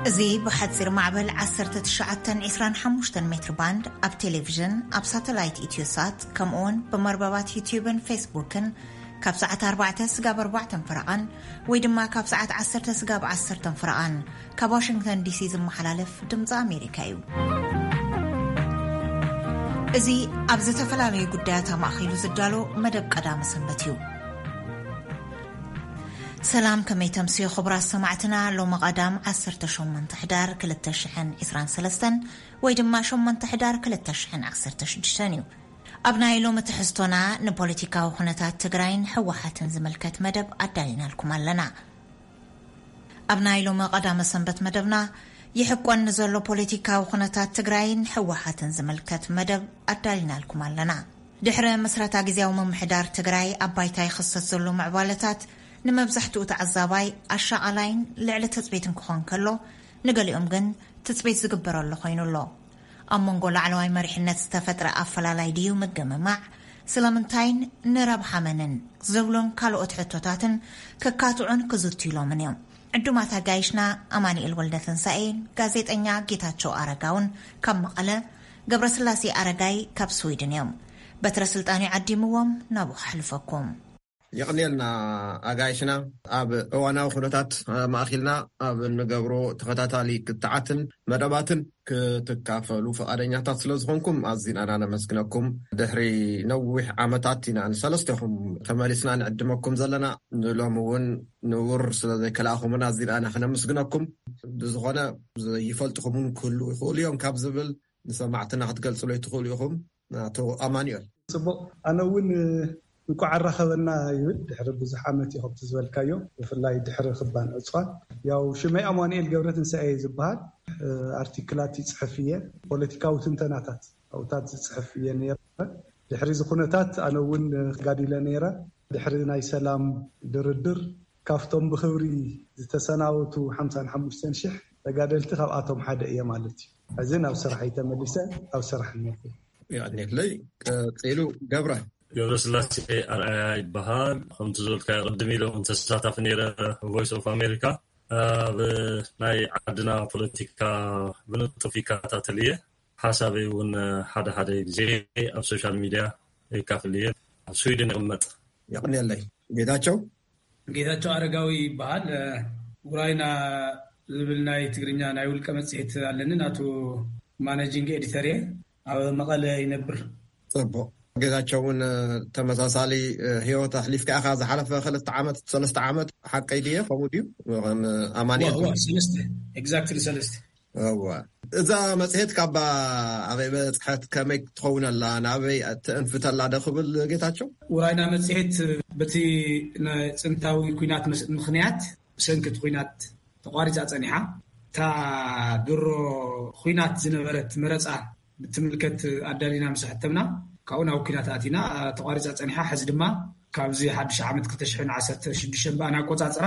እዚ ብሓጺር ማዕበል ዓሰርተ ትሽዓተ ዕስራን ሓሙሽተን ሜትር ባንድ ኣብ ቴሌቪዥን፣ ኣብ ሳተላይት ኢትዮሳት፣ ከምኡውን ብመርበባት ዩትዩብን ፌስቡክን ካብ ሰዓት ኣርባዕተ ስጋብ ኣርባዕተ ፈረቓን ወይ ድማ ካብ ሰዓት ዓሰርተ ስጋብ ዓሰርተ ፈረቓን ካብ ዋሽንግተን ዲሲ ዝመሓላለፍ ድምፂ ኣሜሪካ እዩ። እዚ ኣብ ዝተፈላለዩ ጉዳያት ኣማእኪሉ ዝዳሎ መደብ ቀዳመ ሰንበት እዩ። ሰላም፣ ከመይ ተምስዩ ክቡራት ሰማዕትና? ሎሚ ቀዳም ዓሰርተ ሸሞንተ ሕዳር ክልተ ሽሕን ዕስራን ሰለስተን ወይ ድማ ሸሞንተ ሕዳር ክልተ ሽሕን ዓሰርተ ሽዱሽተን እዩ። ኣብ ናይ ሎሚ ትሕዝቶና ንፖለቲካዊ ኩነታት ትግራይን ህወሓትን ዝምልከት መደብ ኣዳሊናልኩም ኣለና። ኣብ ናይ ሎሚ ቀዳመ ሰንበት መደብና ይሕቆን ንዘሎ ፖለቲካዊ ኩነታት ትግራይን ህወሓትን ዝምልከት መደብ ኣዳሊናልኩም ኣለና። ድሕሪ ምስረታ ግዝያዊ ምምሕዳር ትግራይ ኣብ ባይታ ይኽሰት ዘሎ ምዕባለታት ንመብዛሕትኡ ተዓዛባይ ኣሻቓላይን ልዕሊ ትጽቢትን ክኾን ከሎ፣ ንገሊኦም ግን ትጽቢት ዝግበረሉ ኮይኑ ኣሎ። ኣብ መንጎ ላዕለዋይ መሪሕነት ዝተፈጥረ ኣፈላላይ ድዩ ምግምማዕ? ስለምንታይን ንረብሓ መንን? ዝብሉን ካልኦት ሕቶታትን ክካትዑን ክዝትዩሎምን እዮም። ዕዱማት ኣጋይሽና ኣማኑኤል ወልደ ትንሳኤን ጋዜጠኛ ጌታቸው ኣረጋውን ካብ መቐለ፣ ገብረስላሴ ኣረጋይ ካብ ስዊድን እዮም። በትረ ስልጣን እዩ ዓዲምዎም፣ ናብኡ ከሕልፈኩም። የቕንየልና ኣጋይሽና። ኣብ እዋናዊ ኩነታት ማእኪልና ኣብ እንገብሮ ተኸታታሊ ክትዓትን መደባትን ክትካፈሉ ፈቓደኛታት ስለ ዝኾንኩም ኣዚና ኢና ነመስግነኩም። ድሕሪ ነዊሕ ዓመታት ኢና ንሰለስቴኹም ተመሊስና ንዕድመኩም ዘለና። ንሎሚ እውን ንውር ስለ ዘይከላእኹምና ኣዚና ኢና ክነመስግነኩም። ብዝኾነ ዘይፈልጥኹም እውን ክህልዉ ይኽእሉ እዮም ካብ ዝብል ንሰማዕትና ክትገልጹለይ ትኽእሉ ኢኹም ኣቶ ኣማኑኤል። ጽቡቕ። ኣነ እውን እንኳዕ ኣራኸበና ይብል። ድሕሪ ብዙሕ ዓመት እዩ ከምቲ ዝበልካዮ፣ ብፍላይ ድሕሪ ክባን ዕጽዋን። ያው ሽመይ ኣማኑኤል ገብረ ትንሳኤ እየ ዝበሃል። ኣርቲክላት ይጽሕፍ እየ፣ ፖለቲካዊ ትንተናታት ኣብታት ዝጽሕፍ እየ ነይረ። ድሕሪ እዚ ኩነታት ኣነ እውን ተጋዲለ ነይረ። ድሕሪ ናይ ሰላም ድርድር ካብቶም ብኽብሪ ዝተሰናበቱ ሓምሳን ሓሙሽተን ሽሕ ተጋደልቲ ካብኣቶም ሓደ እየ ማለት እዩ። ሕዚ ናብ ስራሐይ ተመሊሰ ኣብ ስራሕ እነኩ። የቐንየለይ። ቀጺሉ ገብረ። ገብረስላሴ ኣርኣያ ይበሃል። ከምቲ ዝበልካዮ ቅድም ኢለ እውን ተሳታፊ ነይረ ቮይስ ኦፍ ኣሜሪካ ኣብ ናይ ዓድና ፖለቲካ ብንጡፍ ይከታተል እየ። ሓሳበይ እውን ሓደ ሓደ ግዜ ኣብ ሶሻል ሚድያ የካፍል እየ። ኣብ ስዊድን ይቕመጥ። የቕንየለይ። ጌታቸው። ጌታቸው ኣረጋዊ ይበሃል። ውራይና ዝብል ናይ ትግርኛ ናይ ውልቀ መጽሔት ኣለኒ። ናቱ ማኔጂንግ ኤዲተር እየ። ኣብ መቐለ ይነብር። ጽቡቕ። ጌታቸው እውን ተመሳሳሊ ህይወት ኣሕሊፍካ ኢኻ ዝሓለፈ ክልተ ዓመት፣ ሰለስተ ዓመት፣ ሓቀይ ድየ? ከምኡ ድዩ? ከም ኣማኑኤል። ዋ፣ ዋ፣ ሰለስተ፣ ኤግዛክትሊ ሰለስተ። እዋ። እዛ መጽሔት ካባ ኣበይ በጽሐት? ከመይ ትኸውን ኣላ? ናበይ ትእንፍት ኣላ ዶ ክብል ጌታቸው? ውራይና መጽሔት በቲ ናይ ጥንታዊ ኲናት መስ-፣ ምኽንያት፣ ብሰንኪ እቲ ኲናት ተቋሪጻ ጸኒሓ። እታ ድሮ ኲናት ዝነበረት መረጻ ብትምልከት ኣዳሊና ምስ ኣሕተምና፣ ካብኡ ናብ ኲናት ኣቲና፣ ተቋሪጻ ጸኒሓ። ሕዚ ድማ ካብዚ ሓድሽ ዓመት ክልተ ሽሕን ዓሰርተ ሽዱሽተን ብኣና ኣቆጻጽራ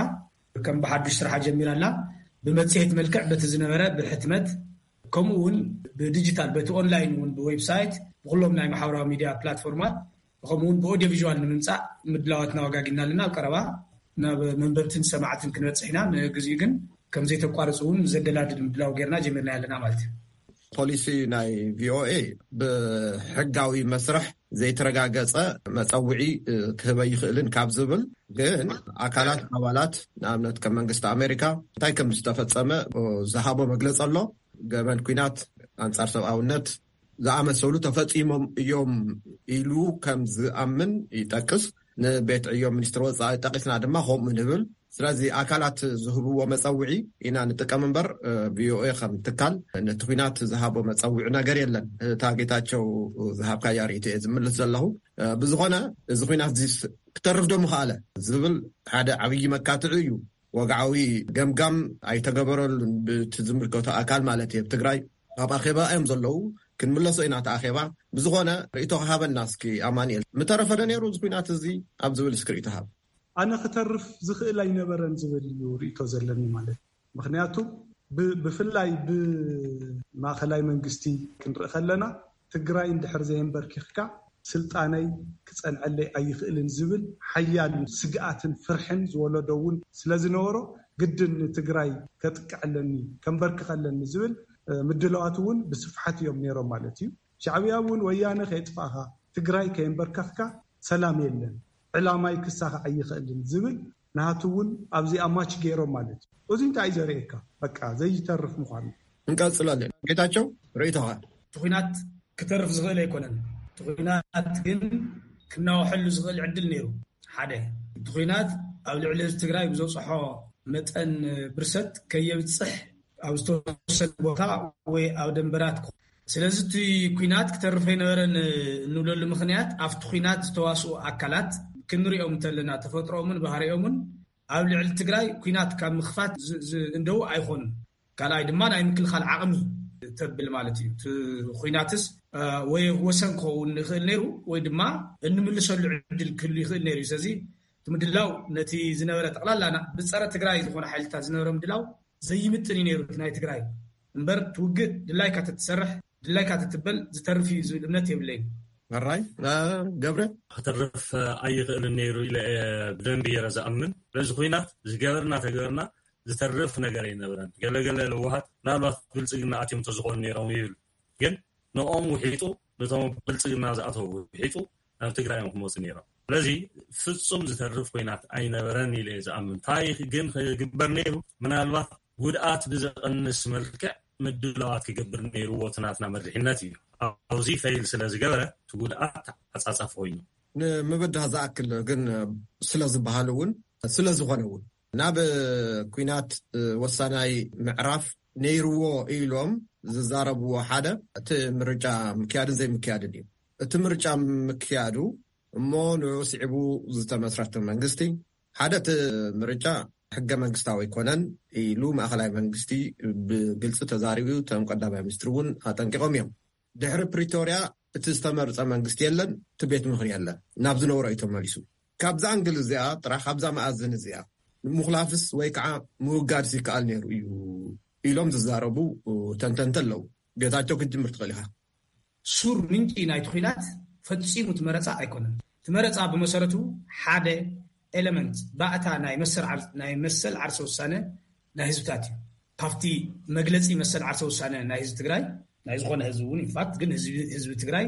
ከም ብሓዱሽ ስርሓ ጀሚራ ኣላ። ብመጽሔት መልክዕ በቲ ዝነበረ ብሕትመት፣ ከምኡ እውን ብዲጂታል፣ በቲ ኦንላይን እውን ብዌብሳይት፣ ብኩሎም ናይ ማሕበራዊ ሚድያ ፕላትፎርማት፣ ከምኡ እውን ብኦዲዮ ቪዥዋል ንምምጻእ ምድላዋት እናወጋጊና ኣለና። ኣብ ቀረባ ናብ መንበብትን ሰማዕትን ክንበጽሕ ኢና። ንግዚኡ ግን ከም ዘይተቋርጽ እውን ዘደላድል ምድላው ጌርና ጀሚርና ኣለና ማለት እዩ። ፖሊሲ ናይ ቪኦኤ ብሕጋዊ መስርሕ ዘይተረጋገጸ መጸውዒ፣ እ፣ ክህበ ይኽእልን ካብ ዝብል ግን ኣካላት ኣባላት ንኣብነት ከም መንግስቲ ኣሜሪካ እንታይ ከም ዝተፈጸመ፣ እ፣ ዝሃቦ መግለጺ ኣሎ። ገበን ኲናት ኣንጻር ሰብኣውነት ዝኣመሰሉ ተፈጺሞም እዮም ኢሉ ከም ዝኣምን ይጠቅስ። ንቤት ዕዮ ሚኒስትሪ ወጻኢ ጠቂስና ድማ ከምኡ ንብል። ስለዚ ኣካላት ዝህብዎ መጸውዒ ኢና ንጥቀም እምበር፣ እ፣ ቪኦኤ ከም ትካል ነቲ ኲናት ዝሃቦ መጸውዒ ነገር የለን። እታ ጌታቸው ዝሃብካያ ርእይቶ እየ ዝምልስ ዘለኹ። እ፣ ብዝኾነ እዚ ኲናት እዚስ ክተርፍ ዶ ምኽኣለ ዝብል ሓደ ዓብዪ መካትዒ እዩ። ወግዓዊ ገምጋም ኣይተገበረሉን ብቲ ዝምልከቶ ኣካል ማለት እየ። ኣብ ትግራይ ኣብ ኣኼባ እዮም ዘለዉ። ክንምለሶ ኢና እቲ ኣኼባ። ብዝኾነ ርእይቶ ክሃበና እስኪ ኣማኑኤል። ምተረፈ ዶ ነይሩ እዚ ኲናት እዚ ኣብ ዝብል እስኪ ርእይቶ ሃብ። ኣነ ክተርፍ ዝኽእል ኣይነበረን ዝብል እዩ ርእይቶ ዘለኒ ማለት እዩ። ምኽንያቱ ብ-፣ ብፍላይ ብማእኸላይ መንግስቲ ክንርኢ ከለና ትግራይ እንድሕር ዘየንበርኪኽካ ስልጣነይ ክጸንዐለይ ኣይኽእልን ዝብል ሓያል ስግኣትን ፍርሕን ዝወለዶ እውን ስለ ዝነበሮ ግድን ንትግራይ ከጥቅዕ ኣለኒ፣ ከንበርክኽ ኣለኒ ዝብል ምድላዋት እውን ብስፍሓት እዮም ነይሮም ማለት እዩ። ሻዕብያ እውን ወያነ ከየጥፋእኻ፣ ትግራይ ከየንበርከኽካ ሰላም የለን፣ ዕላማይ ክሳኻዕ ኣይኽእልን ዝብል ናቱ እውን ኣብዚኣ ማች ገይሮም ማለት እዩ። እዚ እንታይ እዩ ዘርእየካ? በቃ ዘይተርፍ ምዃኑ። እንቀፅለሉ። ጌታቸው፣ ርእይቶኻ? እቲ ኹናት ክተርፍ ዝኽእል ኣይኮነን። እቲ ኹናት ግን ክናወሐሉ ዝኽእል ዕድል ነይሩ። ሓደ፣ እቲ ኹናት ኣብ ልዕሊ ህዝቢ ትግራይ ብዘብፅሖ መጠን ብርሰት ከየብፅሕ ኣብ ዝተወሰነ ቦታ ወይ ኣብ ደንበራት ክኾ- ስለዚ እቲ ኲናት ክተርፍ ኣይነበረን እንብለሉ ምኽንያት ኣብቲ ኲናት ዝተዋስኡ ኣካላት ክንሪኦም እንተለና ተፈጥሮኦምን ባህሪኦምን ኣብ ልዕሊ ትግራይ ኲናት ካብ ምኽፋት ዝ- ዝ- እንደው ኣይኾኑን። ካልኣይ ድማ ናይ ምክልኻል ዓቕሚ ተብል ማለት እዩ። እቲ ኲናትስ ወይ ወሰን ክኸውን ይኽእል ነይሩ ወይ ድማ እንምልሰሉ ዕድል ክህሉ ይኽእል ነይሩ እዩ። ስለዚ እቲ ምድላው ነቲ ዝነበረ ጠቕላላ ብፀረ ትግራይ ዝኾነ ሓይልታት ዝነበረ ምድላው ዘይምጥን እዩ ነይሩ እቲ ናይ ትግራይ እምበር ትውግእ ድላይካ ተትሰርሕ ድላይካ ተትበል ዝተርፍ እዩ ዝብል እምነት የብለይን። ራይ ገብረ ክተርፍ ኣይኽእልን ነይሩ ኢለ ብደንቢ የረ ዝኣምን። በዚ ኩናት ዝገበርና ተገበርና ዝተርፍ ነገር ኣይነበረን። ገለገለ ለዋሃት ምናልባት ብልፅግና ኣትዮም ተዝኾኑ ነይሮም ይብል። ግን ንኦም ውሒጡ ነቶም ብልፅግና ዝኣተው ውሒጡ ናብ ትግራይ እዮም ክመፁ ነይሮም። ስለዚ ፍፁም ዝተርፍ ኮይናት ኣይነበረን ኢለ ዝኣምን። እንታይ ግን ክግበር ነይሩ? ምናልባት ጉድኣት ብዘቐንስ መልክዕ ምድላዋት ክገብር ነይርዎ እቲ ናትና መሪሕነት እዩ። ኣብዚ ፈይል ስለ ዝገበረ እቲ ጉድኣት ተዓፃፃፊ ኮይኑ ንምብዳህ ዝኣክል ግን ስለ ዝበሃል እውን ስለ ዝኾነ እውን ናብ ኩናት ወሳናይ ምዕራፍ ነይርዎ ኢሎም ዝዛረብዎ ሓደ እቲ ምርጫ ምክያድን ዘይምክያድን እዩ። እቲ ምርጫ ምክያዱ እሞ ንኡ ስዒቡ ዝተመስረተ መንግስቲ ሓደ እቲ ምርጫ ሕገ መንግስታዊ ኣይኮነን ኢሉ ማእኸላይ መንግስቲ ብግልፂ ተዛሪቡ። እቶም ቀዳማይ ሚኒስትር እውን ኣጠንቂቖም እዮም። ድሕሪ ፕሪቶርያ እቲ ዝተመርፀ መንግስቲ የለን፣ እቲ ቤት ምኽሪ የለን። ናብ ዝነበሮ እዩ ተመሊሱ። ካብዛ ኣንግል እዚኣ ጥራሕ ካብዛ መኣዝን እዚኣ ምኹላፍስ ወይ ከዓ ምውጋድስ ይከኣል ነይሩ እዩ ኢሎም ዝዛረቡ ተንተንቲ ኣለዉ። ጌታቸው ክትጅምር ትኽእል ኢኻ። ሱር ምንጪ ናይቲ ኲናት ፈጺሙ እቲ መረጻ ኣይኮነን። እቲ መረጻ ብመሰረቱ ሓደ ኤለመንት ባእታ ናይ መሰል ዓርሰ ውሳነ ናይ ህዝብታት እዩ። ካብቲ መግለጺ መሰል ዓርሰ ውሳነ ናይ ህዝቢ ትግራይ ናይ ዝኾነ ህዝቢ እውን ኢንፋክት ግን ህዝቢ ትግራይ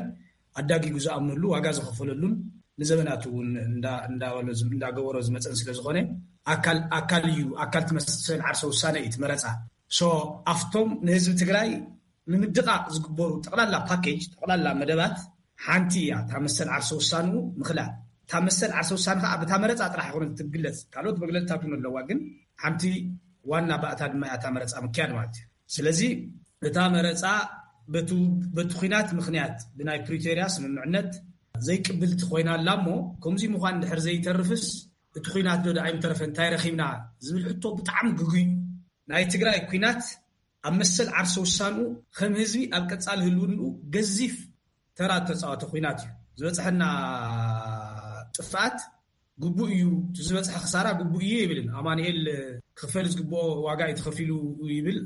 ኣዳጊጉ ዝኣምነሉ ዋጋ ዝኸፈለሉን ንዘበናት እውን እንዳበሎ እንዳገበሮ ዝመፀን ስለዝኾነ ኣካል እዩ። ኣካል ትመስል ዓርሰ ውሳነ እዩ ትመረፃ። ሶ ኣብቶም ንህዝቢ ትግራይ ንምድቓቕ ዝግበሩ ጠቕላላ ፓኬጅ ጠቕላላ መደባት ሓንቲ እያ። እታ መሰል ዓርሰ ውሳንኡ ምኽላል እታ መሰል ዓርሰ ውሳነ ከዓ ብታ መረፃ ጥራሕ ይኮነ ትግለፅ። ካልኦት መግለፅታት እውን ኣለዋ፣ ግን ሓንቲ ዋና ባእታ ድማ እያ እታ መረፃ ምክያድ ማለት እዩ። ስለዚ እታ መረፃ በቲ ኲናት ምኽንያት ብናይ ፕሪቶርያ ስምምዕነት ዘይቅብልቲ ኮይና ኣላ እሞ ከምዚ ምዃን ድሕር ዘይተርፍስ እቲ ኲናት ዶ ኣይምተረፈ እንታይ ረኺብና ዝብል ሕቶ ብጣዕሚ ግጉይ እዩ። ናይ ትግራይ ኲናት ኣብ መሰል ዓርሰ ውሳንኡ ከም ህዝቢ ኣብ ቀፃሊ ህልውንኡ ገዚፍ ተራ ተፃወተ ኲናት እዩ። ዝበፅሐና ጥፍኣት ግቡእ እዩ፣ እቲ ዝበፅሐ ክሳራ ግቡእ እዩ ይብልን ኣማኑኤል ክፈል ዝግብኦ ዋጋ እዩ ተኸፊሉ ይብል።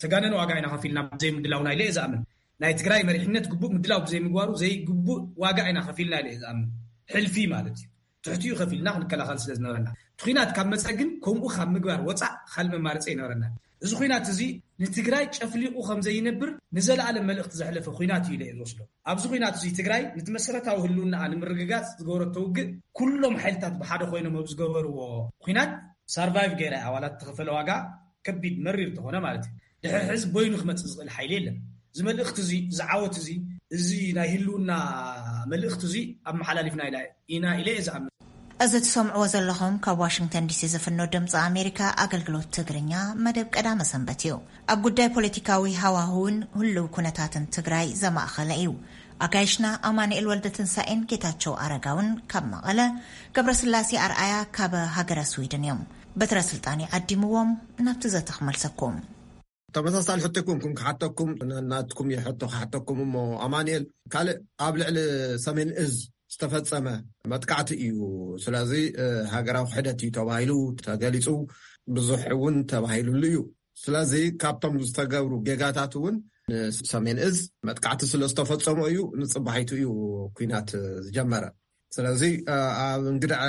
ተጋነነ ዋጋ ኢና ከፊልና ብዘይ ምድላውና ኢለ እየ ዝኣምን። ናይ ትግራይ መሪሕነት ግቡእ ምድላው ብዘይ ምግባሩ ዘይግቡእ ዋጋ ኢና ከፊልና ኢለ እየ ዝኣምን። ሕልፊ ማለት እዩ። ትሕቲኡ ከፊልና ክንከላኸል ስለ ዝነበረና እቲ ኲናት ካብ መፀ ግን ከምኡ ካብ ምግባር ወፃእ ካልእ መማረፂ ኣይነበረና። እዚ ኲናት እዚ ንትግራይ ጨፍሊቑ ከም ዘይነብር ንዘለኣለም መልእኽቲ ዘሕለፈ ኲናት እዩ ኢለ እየ ዝወስዶ። ኣብዚ ኲናት እዚ ትግራይ ነቲ መሰረታዊ ህልውናኣ ንምርግጋፅ ዝገበረቶ ውግእ ኩሎም ሓይልታት ብሓደ ኮይኖም ኣብ ዝገበርዎ ኲናት ሳርቫይቭ ገይራ እያ ዋላ እተኸፈለ ዋጋ ከቢድ መሪር እንተኾነ ማለት እዩ። ድሕሪ ሕዚ በይኑ ክመፅእ ዝኽእል ሓይሊ የለን። እዚ መልእኽቲ እዚ እዚ ዓወት እዚ እዚ ናይ ህልውና መልእኽቲ እዚ ኣመሓላሊፍና ኢና ኢለ እየ ዝኣምን። እዚ ትሰምዕዎ ዘለኹም ካብ ዋሽንግተን ዲሲ ዝፍኖ ድምፂ ኣሜሪካ ኣገልግሎት ትግርኛ መደብ ቀዳመ ሰንበት እዩ። ኣብ ጉዳይ ፖለቲካዊ ሃዋህውን ህልው ኩነታትን ትግራይ ዘማእኸለ እዩ። ኣጋይሽና ኣማኑኤል ወልደትንሳኤን ጌታቸው ኣረጋውን ካብ መቐለ፣ ገብረስላሴ ኣርኣያ ካብ ሃገረ ስዊድን እዮም። በትረ ስልጣን ይዓዲምዎም ናብቲ ዘተ ክመልሰኩም። ተመሳሳሊ ሕቶ ይኮንኩም ክሓተኩም፣ ናትኩም ሕቶ ክሓተኩም እሞ ኣማኑኤል፣ ካልእ ኣብ ልዕሊ ሰሜን እዝ ዝተፈጸመ መጥቃዕቲ እዩ። ስለዚ ሃገራዊ ክሕደት እዩ ተባሂሉ ተገሊጹ፣ ብዙሕ እውን ተባሂሉሉ እዩ። ስለዚ ካብቶም ዝተገብሩ ጌጋታት እውን ንሰሜን እዝ መጥቃዕቲ ስለ ዝተፈጸሞ እዩ፣ ንጽባሒቱ እዩ ኲናት ዝጀመረ። ስለዚ ኣብ እንግድዐ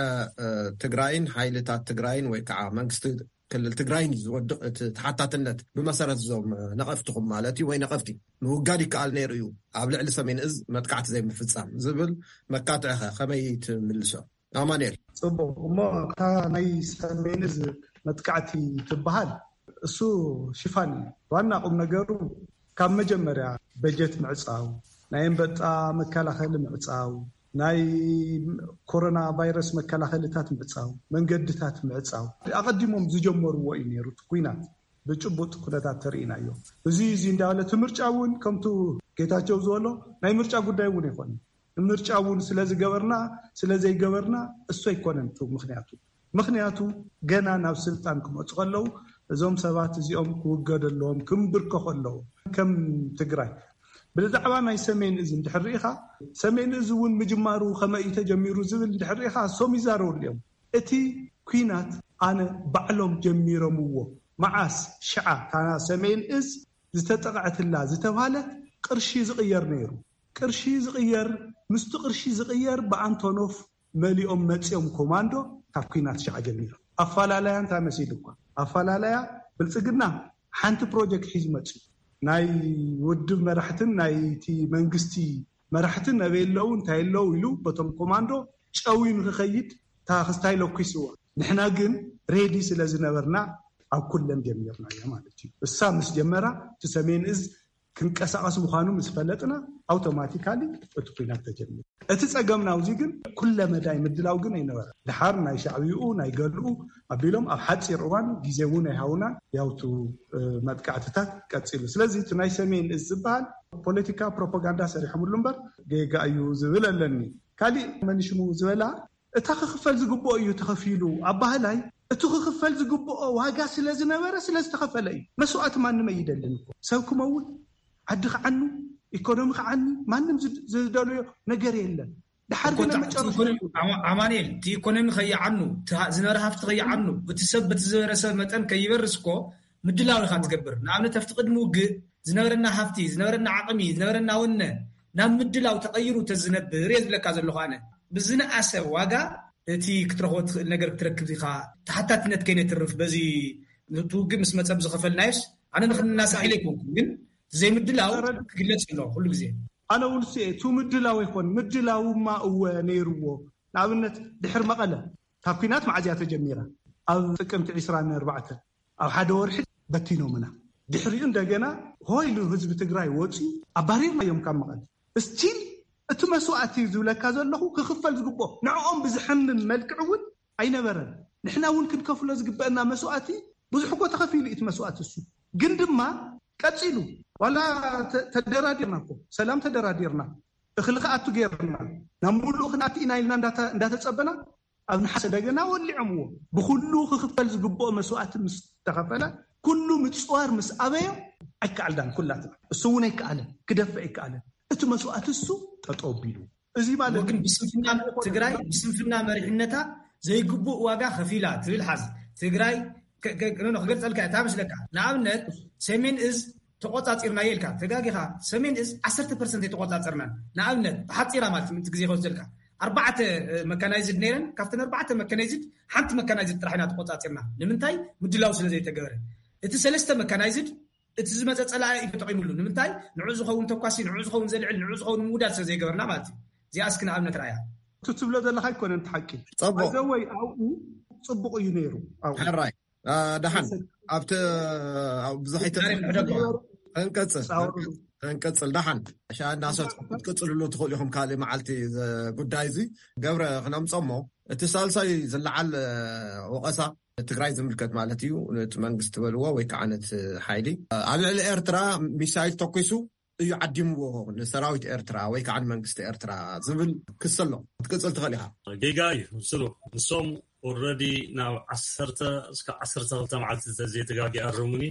ትግራይን ሓይልታት ትግራይን ወይ ከዓ መንግስቲ ክልል ትግራይን እዩ ዝወድቕ። እቲ ተሓታትነት ብመሰረት እዞም ነቐፍትኹም ማለት እዩ፣ ወይ ነቐፍቲ ምውጋድ ይከኣል ነይሩ እዩ፣ ኣብ ልዕሊ ሰሜን እዝ መጥቃዕቲ ዘይምፍጻም ዝብል መካትዕኸ ከመይ ትምልሶ? ኣማኑኤል። ጽቡቕ። እሞ እታ ናይ ሰሜን እዝ መጥቃዕቲ ትበሃል፣ እሱ ሽፋን እዩ። ዋና ቁም ነገሩ ካብ መጀመርያ በጀት ምዕጻው፣ ናይ ኣንበጣ መከላኸሊ ምዕጻው፣ ናይ ኮሮና ቫይረስ መከላኸልታት ምዕጻው፣ መንገድታት ምዕጻው፣ ኣቐዲሞም ዝጀመርዎ እዩ ነይሩ እቲ ኲናት። ብጭቡጥ ኩነታት ተርእናዮ። እዚ እዚ እንዳበለ እቲ ምርጫ እውን ከምቱ ጌታቸው ዝበሎ ናይ ምርጫ ጉዳይ እውን ኣይኮነ። ምርጫ እውን ስለ ዝገበርና ስለ ዘይገበርና እሱ ኣይኮነን እቲ ምኽንያቱ። ምኽንያቱ ገና ናብ ስልጣን ክመፁ ከለዉ እዞም ሰባት እዚኦም ክውገዱ ኣለዎም፣ ክምብርከኹ ኣለዎም። ከም ትግራይ ብዛዕባ ናይ ሰሜን እዝ እንድሕር ርኢኻ፣ ሰሜን እዝ እውን ምጅማሩ ከመይ እዩ ተጀሚሩ ዝብል እንድሕር ርኢኻ፣ እሶም ይዛረብሉ እዮም። እቲ ኲናት ኣነ ባዕሎም ጀሚሮምዎ። መዓስ ሽዓ እታ ሰሜን እዝ ዝተጠቕዐትላ ዝተባህለት ቅርሺ ዝቕየር ነይሩ። ቅርሺ ዝቕየር፣ ምስቲ ቅርሺ ዝቕየር ብኣንቶኖፍ መሊኦም መጺኦም ኮማንዶ ካብ ኲናት ሽዓ ጀሚሮም። ኣፈላለያ እንታይ መሲሉ እኳ ኣፈላለያ ብልጽግና ሓንቲ ፕሮጀክት ሒዙ መጺኡ። ናይ ውድብ መራሕትን ናይቲ መንግስቲ መራሕትን ኣበይ ኣለዉ እንታይ ኣለዉ ኢሉ በቶም ኮማንዶ ጨውዩ ንክኸይድ እታ ክስታይ ለኲስዋ። ንሕና ግን ሬዲ ስለ ዝነበርና ኣብ ኩለን ጀሚርናዮ ማለት እዩ። እሳ ምስ ጀመራ እቲ ሰሜን እዝ ክንቀሳቐስ ምዃኑ ምስ ፈለጥና ኣውቶማቲካሊ እቲ ኩናት ተጀሚሩ። እቲ ጸገምና ኣብዚ ግን ኩለ መዳይ ምድላው ግን ኣይነበረ። ድሓር ናይ ሻዕብይኡ ናይ ገልኡ ኣቢሎም ኣብ ሓጺር እዋን ግዜ እውን ኣይሃውና ያውቱ መጥቃዕትታት ቀጺሉ። ስለዚ እቲ ናይ ሰሜን እዝ ዝበሃል ፖለቲካ ፕሮፓጋንዳ ሰሪሖምሉ እምበር ጌጋ እዩ ዝብል ኣለኒ። ካሊእ መኒሽሙ ዝበላ እታ ክኽፈል ዝግብኦ እዩ ተኸፊሉ ኣባህላይ። እቲ ክኽፈል ዝግብኦ ዋጋ ስለ ዝነበረ ስለ ዝተኸፈለ እዩ። መስዋእቲ ማንም ኣይደልን እኮ። ሰብ ክመውት፣ ዓዲ ክዓኑ፣ ኢኮኖሚ ክዓኒ ማንም ዝድ- ዝደልዮ ነገር የለን። ድሓር እኮ ግን ኣብ ታ- እቲ መጨረሻ ኢኮኖሚ- ኣማ- ኣማኑኤል፣ እቲ ኢኮኖሚ ከይዓኑ፣ እቲ ሃ- ዝነበረ ሃፍቲ ከይዓኑ፣ እቲ ሰብ በቲ ዝበረሰ መጠን ከይበርስ እኮ ምድላው ኢኻ ትገብር። ንኣብነት ኣብቲ ቅድሚ ውግእ ዝነበረና ሃፍቲ፣ ዝነበረና ዓቕሚ፣ ዝነበረና ወነ ናብ ምድላው ተቐይሩ ተዝነብር እየ ዝብለካ ዘለኹ ኣነ። ብዝነኣሰ ዋጋ እቲ ክትረኽቦ ትኽእል ነገር ክትረክብ ኢኻ። ተሓታትነት ከይነትርፍ በዚ እቲ ውግእ ምስ መጸ ብዝኸፈልናዮስ ኣነ ንክንናሳሕ ኢለ ኣይኮንኩን፣ ግን ዘይምድላው ክግለጽ ኣሎ ኩሉ ግዜ። ኣነ ውልሲ እየ፣ ቱ ምድላው ይኾን ምድላውማ እወ ነይርዎ። ንኣብነት ድሕር መቐለ ካብ ኲናት መዓዝያ ተጀሚራ ኣብ ጥቅምቲ ዕስራን ኣርባዕተን ኣብ ሓደ ወርሒ በቲኖምና። ድሕሪኡ እንደገና ሆይሉ ህዝቢ ትግራይ ወፂኡ ኣባሪርናዮም ካብ መቐለ። እስቲል እቲ መስዋእቲ ዝብለካ ዘለኹ ክኽፈል ዝግብኦ ንዕኦም ብዝሐምም መልክዕ እውን ኣይነበረን። ንሕና እውን ክንከፍሎ ዝግበአና መስዋእቲ ብዙሕ እኮ ተኸፊሉ እዩ እቲ መስዋእቲ እሱ። ግን ድማ ቀፂሉ ዋላ ተ- ተደራዲርና እኮ ሰላም ተደራዲርና እኽሊ ክኣቱ ገይርና ናብ ሙሉእ ክንኣቲ ኢና ኢልና እንዳተ- እንዳተፀበና ኣብ ነሓሰ ደገና ወሊዖምዎ። ብኩሉ ክኽፈል ዝግብኦ መስዋእቲ ምስ ተኸፈለ ኩሉ ምፅዋር ምስ ኣበዮ ኣይከኣልናን ኩላትና። እሱ እውን ኣይከኣለን ክደፍእ ኣይከኣለን። እቲ መስዋእቲ እሱ ጠጠው ቢሉ እዚ ማለት ግን ብስንፍና ትግራይ ብስንፍና መሪሕነታ ዘይግቡእ ዋጋ ከፊላ ትብል ሓዝ ትግራይ ክገልፀልካ እታ መስለካ ንኣብነት ሰሜን እዝ ተቆፃፂርናዮ ኢልካ ተጋጊኻ። ሰሜን እዝ ዓሰርተ ፐርሰንት ኣይተቆፃፀርናን። ንኣብነት ብሓፂራ ማለት ምንቲ ግዜ ከወስደልካ ኣርባዕተ መካናይዝድ ነይረን። ካብተን ኣርባዕተ መካናይዝድ ሓንቲ መካናይዝድ ጥራሕ ኢና ተቆፃፂርና። ንምንታይ? ምድላው ስለ ዘይተገበረ። እቲ ሰለስተ መካናይዝድ እቲ ዝመፀ ፀላኢ እዩ ተጠቂምሉ። ንምንታይ? ንዑ ዝኸውን ተኳሲ፣ ንዑ ዝኸውን ዘልዕል፣ ንዑ ዝኸውን ምውዳድ ስለ ዘይገበርና ማለት እዩ። እዚኣ እስኪ ንኣብነት ራእያ። እቲ ትብሎ ዘለካ ኣይኮነን እቲ ሓቂ። ፅቡቅ። ዘወይ ኣብኡ ፅቡቅ እዩ ነይሩ ኣብኡ። ሕራይ። ደሓን ኣብቲ ብዙሕ ኣይተንቀፅል። ደሓን ሻ እናሰት ክትቅፅልሉ ትኽእሉ ኢኹም ካልእ መዓልቲ። ጉዳይ እዚ ገብረ ክነምፀሞ እቲ ሳልሳይ ዝለዓል ወቐሳ ትግራይ ዝምልከት ማለት እዩ። ነቲ መንግስቲ በልዎ ወይ ከዓ ነቲ ሓይሊ ኣብ ልዕሊ ኤርትራ ሚሳይል ተኩሱ እዩ ዓዲምዎ ንሰራዊት ኤርትራ ወይ ከዓ ንመንግስቲ ኤርትራ ዝብል ክስ ኣሎ። ክትቅፅል ትኽእል ኢኻ። ጌጋ እዩ ስሉ ንሶም ኦረዲ ናብ ዓሰርተ እስከ ዓሰርተ ክልተ መዓልቲ ተዘይተጋጊ ኣርሙኒ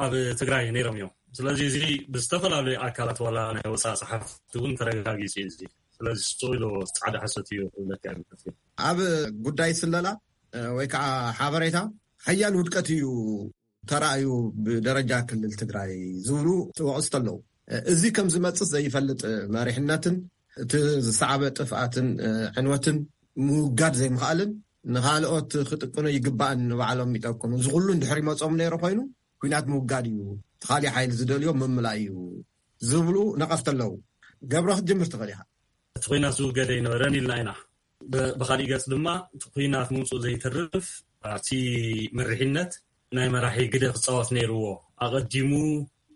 ኣብ ትግራይ ነይሮም እዮም። ስለዚ እዚ ብዝተፈላለዩ ኣካላት ዋላ ናይ ወፃኢ ፀሓፍቲ እውን ተረጋጊፂ እዩ። ስለዚ ስቶ ኢሎ ፃዕዳ ሓሶት እዩ ክብለካ ይምከት። ኣብ ጉዳይ ስለላ ወይ ከዓ ሓበሬታ ሓያል ውድቀት እዩ ተራእዩ ብደረጃ ክልል ትግራይ ዝብሉ ወቐስቲ ኣለዉ። እዚ ከም ዝመፅእ ዘይፈልጥ መሪሕነትን እቲ ዝሰዓበ ጥፍኣትን ዕንወትን ምውጋድ ዘይምኽኣልን ንኻልኦት ክጥቅኑ ይግባእን ንባዕሎም ይጠቅኑ። እዚ ኩሉ እንድሕር ይመጾም ነይሩ ኮይኑ፣ ኲናት ምውጋድ እዩ፣ እቲ ካሊእ ሓይሊ ዝደልዮ ምምላእ እዩ ዝብሉ ነቐፍቲ ኣለዉ። ገብረ፣ ክትጅምር ትኽእል ኢኻ። እቲ ኲናት ዝውገደ ኣይነበረን ኢልና ኢና። ብ-፣ ብኻሊእ ገጽ ድማ፣ እቲ ኲናት ምውጽኡ ዘይተርፍ፣ ኣብቲ መሪሕነት ናይ መራሒ ግደ ክጻወት ነይርዎ። ኣቐዲሙ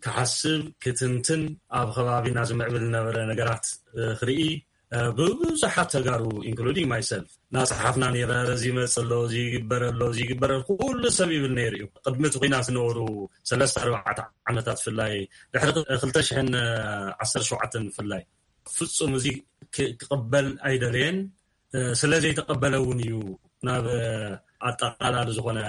ክሓስብ፣ ክትንትን፣ ኣብ ከባቢና ዝምዕብል ዝነበረ ነገራት፣ እ፣ ክርኢ፣ እ፣ ብብዙሓት ተጋሩ፣ ኢንክሉዲንግ ማይሰልፍ፣ እናጸሓፍና ነይረ። እዚ ይመጽእ ኣሎ፣ እዚ ይግበር ኣሎ፣ እዚ ይግበር ኣሎ፣ ኩሉ ሰብ ይብል ነይሩ እዩ። ቅድሚ እቲ ኲናት ዝነበሩ ሰለስተ ኣርባዕተ ዓመታት ብፍላይ፣ ድሕሪ ክልተ ሽሕን ዓሰርተ ሸውዓተን ብፍላይ፣ ፍጹም እዚ ክ-፣ ክቕበል ኣይደለየን። እ፣ ስለ ዘይተቐበለ እውን እዩ ናብ፣ እ፣ ኣጠቓላሊ ዝኾነ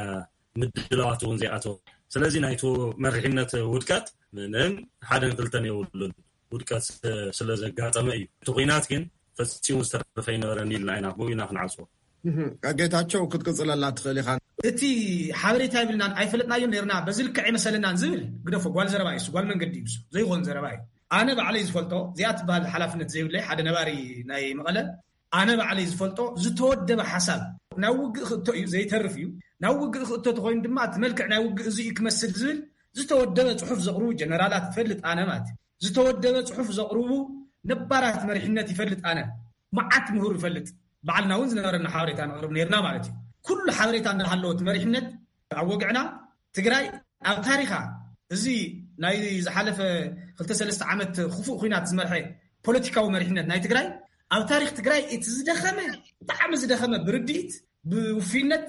ምድላዋት እውን ዘይኣተወ። ስለዚ ናይቱ መሪሕነት ውድቀት ምንም ሓደን ክልተን የብሉን። ውድቀት፣ እ፣ ስለ ዘጋጠመ እዩ። እቲ ኲናት ግን ፈጺሙ ዝተረፈ ኣይነበረን ኢልና ኢና፣ ብኡ ኢና ክንዓጽዎ። እህ፣ ጌታቸው፣ ክትቅጽለላ ትኽእል ኢኻ። እቲ ሓበሬታ የብልናን ኣይፈለጥናዮን ነርና፣ በዚ ልክዕ ኣይመሰለናን ዝብል ግደፎ፣ ጓል ዘረባ እዩ እሱ፣ ጓል መንገዲ እዩ እሱ፣ ዘይኾን ዘረባ እዩ። ኣነ ባዕለይ ዝፈልጦ፣ እዚኣ ትበሃል ሓላፍነት ዘይብለይ ሓደ ነባሪ ናይ መቐለ፣ ኣነ ባዕለይ ዝፈልጦ ዝተወደበ ሓሳብ፣ ናብ ውግእ ክእቶ እዩ፣ ዘይተርፍ እዩ። ናብ ውግእ ክእቶ ተኾይኑ ድማ፣ እቲ መልክዕ ናይ ውግእ እዚ እዩ ክመስል ዝብል ዝተወደበ ጽሑፍ ዘቕርቡ ጀነራላት እፈልጥ ኣነ ማለት እዩ። ዝተወደበ ጽሑፍ ዘቕርቡ ነባራት መሪሕነት ይፈልጥ ኣነ። መዓት ምሁር ይፈልጥ። ባዕልና እውን ዝነበረና ሓበሬታ ነቕርብ ነርና ማለት እዩ። ኩሉ ሓበሬታ እንዳሃለዎ እቲ መሪሕነት ኣብ ወግዕና ትግራይ ኣብ ታሪኻ፣ እዚ ናይ ዝሓለፈ ክልተ ሰለስተ ዓመት ክፉእ ኲናት ዝመርሐ ፖለቲካዊ መሪሕነት ናይ ትግራይ፣ ኣብ ታሪኽ ትግራይ እቲ ዝደኸመ፣ ብጣዕሚ ዝደኸመ፣ ብርድኢት፣ ብውፍይነት፣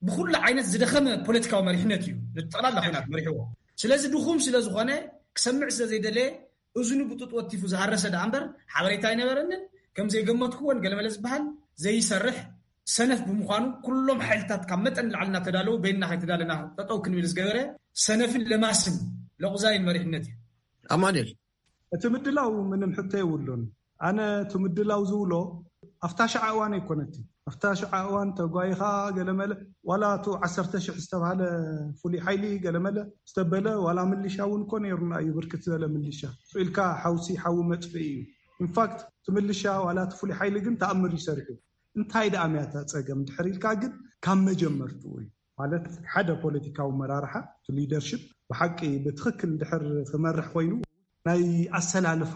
ብኩሉ ዓይነት ዝደኸመ ፖለቲካዊ መሪሕነት እዩ። ንጠቕላላ ኲናት መሪሕዎ። ስለዚ ድኹም ስለ ዝኾነ፣ ክሰምዕ ስለ ዘይደለየ፣ እዝኑ ብጡጥ ወቲፉ ዝሃረሰ ደኣ እምበር፣ ሓበሬታ ኣይነበረንን። ከም ዘይገመትኩዎን ገለመለ ዝበሃል ዘይሰርሕ ሰነፍ ብምዃኑ፣ ኩሎም ሓይልታት ካብ መጠን ንላዕሊ እናተዳለዉ፣ በይንና ከይተዳለና ጠጠው ክንብል ዝገበረ ሰነፍን ለማስን ለቑዛይን መሪሕነት እዩ። ኣማኑኤል። እቲ ምድላው ምንም ሕቶ የብሉን። ኣነ እቲ ምድላው ዝብሎ ኣብታ ሸዓ እዋን ኣይኮነትን። ኣብታ ሸዓ እዋን ተጓይኻ ገለመለ፣ ዋላ እቱ ዓሰርተ ሽሕ ዝተባሃለ ፍሉይ ሓይሊ ገለመለ ዝተበለ፣ ዋላ ምልሻ እውን እኮ ነይሩና እዩ፣ ብርክት ዝበለ ምልሻ። ስቕ ኢልካ ሓውሲ ሓዊ መጥፍኢ እዩ። ኢንፋክት እቲ ምልሻ ዋላ እቲ ፍሉይ ሓይሊ ግን ተኣምር እዩ ሰሪሑ። እንታይ ደኣ ምያ እታ ጸገም ድሕር ኢልካ ግን ካብ መጀመርትኡ እዩ። ማለት ሓደ ፖለቲካዊ መራርሓ፣ እቲ ሊደርሽፕ ብሓቂ ብትኽክል ድሕር ክመርሕ ኮይኑ ናይ ኣሰላልፋ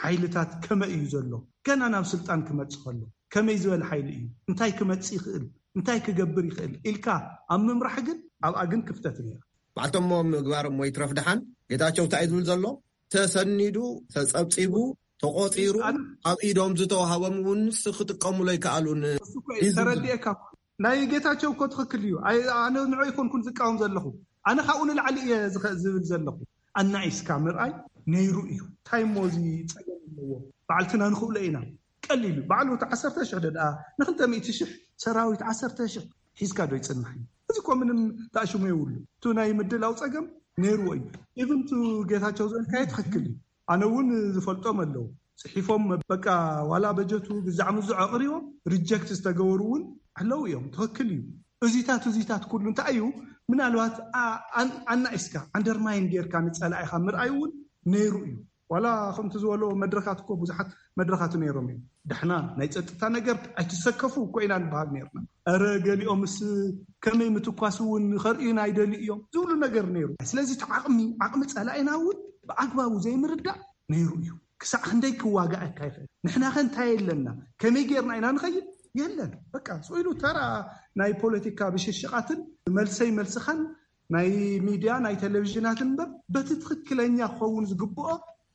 ሓይልታት ከመይ እዩ ዘሎ፣ ገና ናብ ስልጣን ክመጽእ ከሎ ከመይ ዝበለ ሓይሊ እዩ፣ እንታይ ክመጽእ ይኽእል፣ እንታይ ክገብር ይኽእል ኢልካ ኣብ ምምራሕ ግን ኣብኣ ግን ክፍተት ነይራ። ባዕልቶም እሞ ምግባር እሞ ይትረፍ ደሓን፣ ጌታቸው እንታይ እዩ ዝብል ዘሎ? ተሰኒዱ፣ ተጸብጺቡ፣ ተቖጺሩ፣ ኣነ ኣብ ኢዶም ዝተዋህቦም እውን ንስ ክጥቀሙሉ ኣይከኣሉን እሱ እኮ እዩ እዩ ዝብል ዘሎ። ተረዲኤካ። ናይ ጌታቸው እኮ ትኽክል እዩ። ኣይ-፣ ኣነ ንዑ ኣይኮንኩን ዝቃወም ዘለኹ። ኣነ ካብኡ ንላዕሊ እየ ዝኸ-፣ ዝብል ዘለኹ። ኣናኢስካ ምርኣይ ነይሩ እዩ። እንታይ እሞ እዚ ጸገም ኣለዎ? ባዕልትና ንኽእሎ ኢና። ቀሊል እዩ። ባዕሉ እቲ ዓሰርተ ሽሕ ዶ ደኣ ንኽልተ ሚእቲ ሽሕ ሰራዊት ዓሰርተ ሽሕ ሒዝካ ዶ ይጽንሕ እዩ? እዚ እኮ ምንም ተኣሽሙ የብሉ። እቱ ናይ ምድላው ጸገም ነይርዎ እዩ። ኢቭን እቱ ጌታቸው ዝበልካዮ ትኽክል እዩ። ኣነ እውን ዝፈልጦም ኣለዉ። ጽሒፎም በቃ ዋላ በጀቱ ግዛዕ ምዙዕ ኣቕሪቦም ሪጀክት ዝተገበሩ እውን ኣለዉ እዮም። ትኽክል እዩ። እዚታት፣ እዚታት ኩሉ እንታይ እዩ? ምናልባት ኣ-፣ ኣን-፣ ኣናኢስካ፣ ኣንደርማይን ጌርካ ንጸላኢኻ ምርኣይ እውን ነይሩ እዩ። ዋላ ከምቲ ዝበሎ መድረኻት እኮ ብዙሓት መድረኻት ነይሮም እዮም። ደሕና ናይ ጸጥታ ነገር ኣይትሰከፉ እኮ ኢና ንበሃል ነይርና። ኧረ ገሊኦምስ ከመይ ምትኳስ እውን ከርእዩና ኣይደልዩ እዮም ዝብሉ ነገር ነይሩ። ስለዚ እቲ ዓቕሚ፣ ዓቕሚ ጸላኢና እውን ብኣግባቡ ዘይምርዳእ ነይሩ እዩ። ክሳዕ ክንደይ ክዋጋኣካ ይኽእል? ንሕና ከ እንታይ ኣለና? ከመይ ጌርና ኢና ንኸይድ? የለን። በቃ ስቕ ኢሉ ተራ ናይ ፖለቲካ ብሽሽቓትን መልሰይ መልስኻን ናይ ሚድያ ናይ ቴሌቪዥናትን እምበር በቲ ትኽክለኛ ክኸውን ዝግብኦ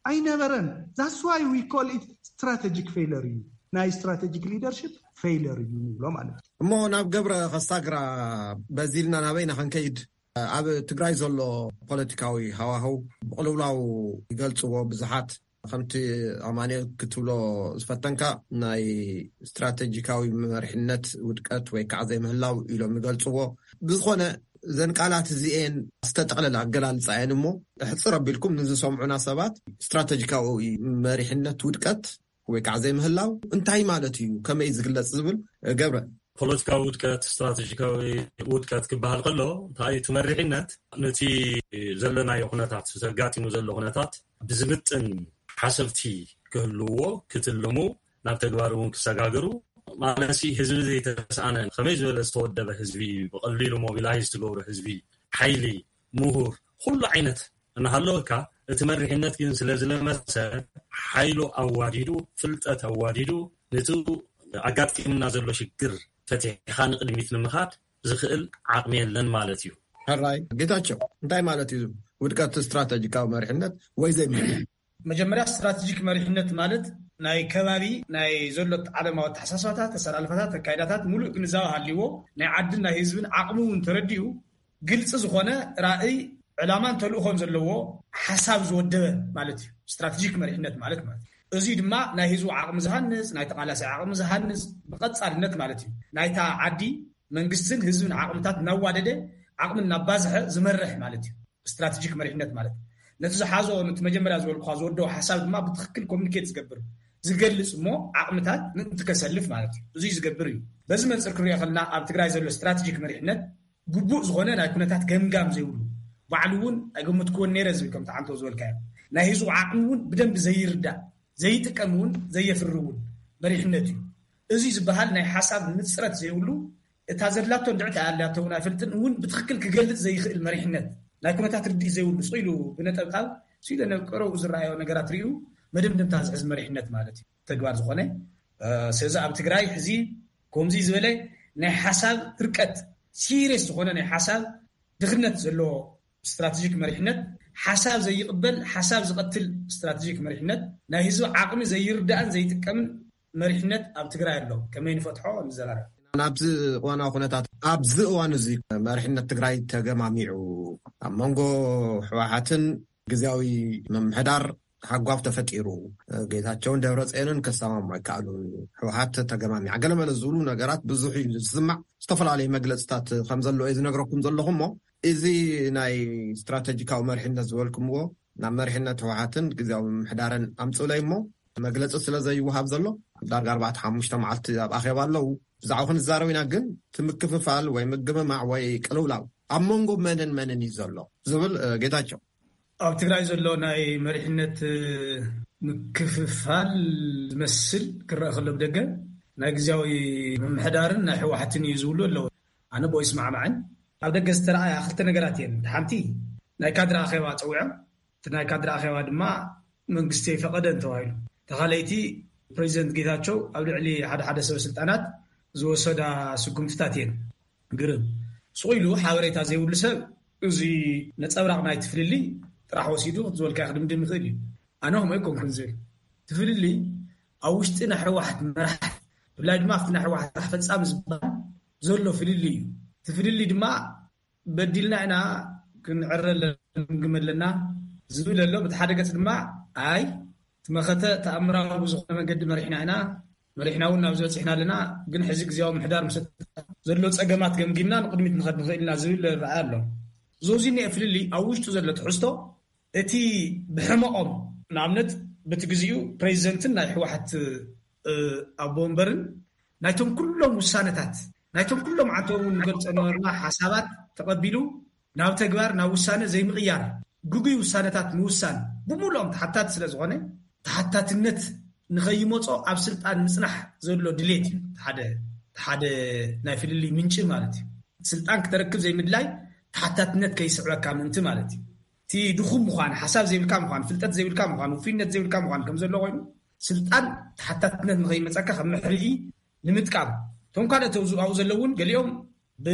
ኣይነበረን። That's why we call it strategic failure እዩ። ናይ ስትራቴጂክ ሊደርሽፕ ፌይለር እዩ ንብሎ ማለት እዩ። እሞ ናብ ገብረ ከሳግራ በዚ ኢልና ናበይና ክንከይድ? ኣብ ትግራይ ዘሎ ፖለቲካዊ ሃዋህው ብቕልውላው ይገልጽዎ ብዙሓት። ከምቲ ኣማኑኤል ክትብሎ ዝፈተንካ ናይ ስትራቴጂካዊ መሪሕነት ውድቀት ወይ ከዓ ዘይምህላው ኢሎም ይገልጽዎ። ብዝኾነ እዘን ቃላት እዚኤን ዝተጠቕለለ ኣገላልጻ እየን እሞ ሕጽር ኣቢልኩም ንዝሰምዑና ሰባት ስትራቴጂካዊ መሪሕነት ውድቀት ወይ ከዓ ዘይምህላው እንታይ ማለት እዩ? ከመይ እዩ ዝግለጽ ዝብል ገብረ። ፖለቲካዊ ውድቀት፣ ስትራቴጂካዊ ውድቀት ክበሃል ከሎ፣ እንታይ እቲ መሪሕነት ነቲ ዘለናዮ ኩነታት፣ ዘጋጢሙ ዘሎ ኩነታት ብዝምጥን ሓሰብቲ ክህልዎ፣ ክትልሙ፣ ናብ ተግባር እውን ክሰጋግሩ፣ ማለት ህዝቢ ዘይተስኣነ፣ ከመይ ዝበለ ዝተወደበ ህዝቢ፣ ብቐሊሉ ሞቢላይዝ ትገብሮ ህዝቢ፣ ሓይሊ፣ ምሁር፣ ኩሉ ዓይነት እናሃለወካ፣ እቲ መሪሕነት ግን ስለ ዝለመሰ፣ ሓይሉ ኣዋዲዱ፣ ፍልጠት ኣዋዲዱ፣ ነቲ ኣጋጢምና ዘሎ ሽግር ፈቲሕኻ ንቕድሚት ንምኻድ ዝኽእል ዓቕሚ የለን ማለት እዩ። ሕራይ ጌታቸው፣ እንታይ ማለት እዩ ውድቀት ስትራተጂካዊ መሪሕነት ወይ ዘይምርጫ? መጀመርያ፣ ስትራተጂክ መሪሕነት ማለት ናይ ከባቢ፣ ናይ ዘሎ ዓለማዊ ኣተሓሳስባታት፣ ኣሰላልፋታት፣ ኣካይዳታት ሙሉእ ግንዛበ ሃልይዎ፣ ናይ ዓድን ናይ ህዝብን ዓቕሚ እውን ተረዲኡ፣ ግልፂ ዝኾነ ራእይ፣ ዕላማን ተልእኾን ዘለዎ ሓሳብ ዝወደበ ማለት እዩ። ስትራተጂክ መሪሕነት ማለት ማለት እዩ። እዚ ድማ ናይ ህዝቡ ዓቕሚ ዝሃንፅ፣ ናይ ተቓላሳይ ዓቕሚ ዝሃንፅ ብቐፃልነት ማለት እዩ። ናይታ ዓዲ መንግስትን ህዝብን ዓቕምታት እናዋደደ፣ ዓቕሚ እናባዝሐ ዝመርሕ ማለት እዩ። ስትራተጂክ መሪሕነት ማለት ነቲ ዝሓዞ፣ ነቲ መጀመርያ ዝበልኩኻ ዝወደቦ ሓሳብ ድማ ብትኽክል ኮሚኒኬት ዝገብር፣ ዝገልጽ እሞ ዓቕምታት ምእንቲ ከሰልፍ ማለት እዩ። እዙይ ዝገብር እዩ። በዚ መንፅር ክንሪኦ ከለና ኣብ ትግራይ ዘሎ ስትራተጂክ መሪሕነት ግቡእ ዝኾነ ናይ ኩነታት ገምጋም ዘይብሉ፣ ባዕሉ እውን ኣይገመትክዎን ነይረ ዝብል ከምቲ ዓንቶ ዝበልካዮ ናይ ህዝቡ ዓቕሚ እውን ብደንብ ዘይርዳእ፣ ዘይጥቀም እውን ዘየፍሪ እውን መሪሕነት እዩ። እዚ ዝበሃል ናይ ሓሳብ ንፅረት ዘይብሉ፣ እታ ዘድላቶ እንድዕቲ ኣላቶ እውን ኣይፈልጥን እውን ብትኽክል ክገልጽ ዘይኽእል መሪሕነት፣ ናይ ኩነታት ርድኢት ዘይብሉ፣ ስቕ ኢሉ ብነጠብጣብ፣ ስኢለ ነብ ቀረብኡ ዝረኣዮ ነገራት ሪኡ መደምደምታ ዝሕዝ መሪሕነት ማለት እዩ ተግባር ዝኾነ። እ፣ ስለዚ ኣብ ትግራይ ሕዚ ከምዚ ዝበለ ናይ ሓሳብ ርቀት፣ ሲሪየስ ዝኾነ ናይ ሓሳብ ድኽነት ዘለዎ ስትራተጂክ መሪሕነት፣ ሓሳብ ዘይቕበል፣ ሓሳብ ዝቐትል ስትራተጂክ መሪሕነት፣ ናይ ህዝቢ ዓቕሚ ዘይርዳእን ዘይጥቀምን መሪሕነት ኣብ ትግራይ ኣሎ። ከመይ ንፈትሖ ንዘራረብ። ናብዚ እዋናዊ ኩነታት፣ ኣብዚ እዋን እዚ መሪሕነት ትግራይ ተገማሚዑ፣ ኣብ መንጎ ህወሓትን ግዝያዊ ምምሕዳር ሃጓፍ ተፈጢሩ፣ ጌታቸውን ደብረፅዮንን ከሰማሙ ኣይከኣሉን። ህወሓት ተገማሚዓ፣ ገለመለ ዝብሉ ነገራት ብዙሕ እዩ ዝስማዕ። ዝተፈላለዩ መግለፅታት ከም ዘሎ እዩ ዝነግረኩም ዘለኹ እሞ፣ እዚ ናይ ስትራተጂካዊ መሪሕነት ዝበልኩምዎ ናብ መሪሕነት ህወሓትን ግዝያዊ ምምሕዳርን ኣምፅእለይ እሞ፣ መግለፂ ስለ ዘይወሃብ ዘሎ፣ ዳርጋ ኣርባዕተ ሓሙሽተ መዓልቲ ኣብ ኣኼባ ኣለዉ። ብዛዕባ ክንዛረብ ኢና፣ ግን እቲ ምክፍፋል ወይ ምግምማዕ ወይ ቅልውላው ኣብ መንጎ መንን መንን እዩ ዘሎ ዝብል፣ እ፣ ጌታቸው። ኣብ ትግራይ ዘሎ ናይ መሪሕነት፣ እ፣ ምክፍፋል ዝመስል ክረአ ከሎ ብደገ ናይ ግዝያዊ ምምሕዳርን ናይ ህወሓትን እዩ ዝብሉ ኣለዉ። ኣነ ብኡ ይስማዕማዕን። ኣብ ደገ ዝተረኣያ ክልተ ነገራት እየን። እቲ ሓንቲ ናይ ካድረ ኣኼባ ፀዊዖም፣ እቲ ናይ ካድረ ኣኼባ ድማ መንግስቲ ኣይፈቐደን ተባሂሉ። ተኻለይቲ ፕሬዚደንት ጌታቸው ኣብ ልዕሊ ሓደ ሓደ ሰበ ስልጣናት ዝወሰዳ ስጉምትታት እየን። ግርም። ስቕ ኢሉ ሓበሬታ ዘይብሉ ሰብ እዚ ነጸብራቕ ናይቲ ፍልልይ ጥራሕ ወሲዱ ዝበልካዮ ክድምድም ይኽእል እዩ። ኣነ ከምኡ ኣይኮንኩን ዝብል። እቲ ፍልልይ ኣብ ውሽጢ ናይ ህወሓት መራሕቲ፣ ብፍላይ ድማ ኣብቲ ናይ ህወሓት ስራሕ ፈጻሚ ዝበሃል ዘሎ ፍልልይ እዩ። እቲ ፍልልይ ድማ በዲልና ኢና፣ ክንዕረ ኣለና፣ ክንግመ ኣለና ዝብል ኣሎ። በቲ ሓደ ገጽ ድማ ኣይ፣ እቲ መኸተ ተኣምራዊ ብዝኾነ መንገዲ መሪሕና ኢና፣ መሪሕና እውን ናብዚ በጺሕና ኣለና፣ ግን ሕዚ ግዝያዊ ምምሕዳር ምስ ዘሎ ጸገማት ገምጊምና ንቕድሚት ንኸድ ንኽእል ኢና ዝብል ረኣይ ኣሎ። እዚ፣ እዚ እኒአ ፍልልይ ኣብ ውሽጡ ዘሎ ትሕዝቶ፣ እቲ ብሕመቖም፣ ንኣብነት፣ በቲ ግዜኡ ፕሬዚደንትን ናይ ህወሓት፣ እ፣ ኣቦ ወንበርን ናይቶም ኩሎም ውሳነታት፣ ናይቶም ኩሎም ዓንቶም እውን ንገልጾ ነበርና ሓሳባት ተቐቢሉ ናብ ተግባር፣ ናብ ውሳነ ዘይምቕያር፣ ግጉይ ውሳነታት ምውሳን፣ ብምሉኦም ተሓታቲ ስለ ዝኾነ፣ ተሓታትነት ንኸይመጾ ኣብ ስልጣን ምጽናሕ ዘሎ ድሌት እዩ። ሓደ፣ ሓደ ናይ ፍልልይ ምንጪ ማለት እዩ። ስልጣን ክተረክብ ዘይምድላይ ተሓታትነት ከይስዕበካ ምእንቲ ማለት እዩ። እቲ ድኹም ምዃን፣ ሓሳብ ዘይብልካ ምዃን፣ ፍልጠት ዘይብልካ ምዃን፣ ውፉይነት ዘይብልካ ምዃን ከም ዘሎ ኮይኑ፣ ስልጣን ተሓታትነት ንኸይመጸካ ከም መሕልኢ ንምጥቃም። እቶም ካልኦት ኣብዚ ኣብኡ ዘለዉ እውን ገሊኦም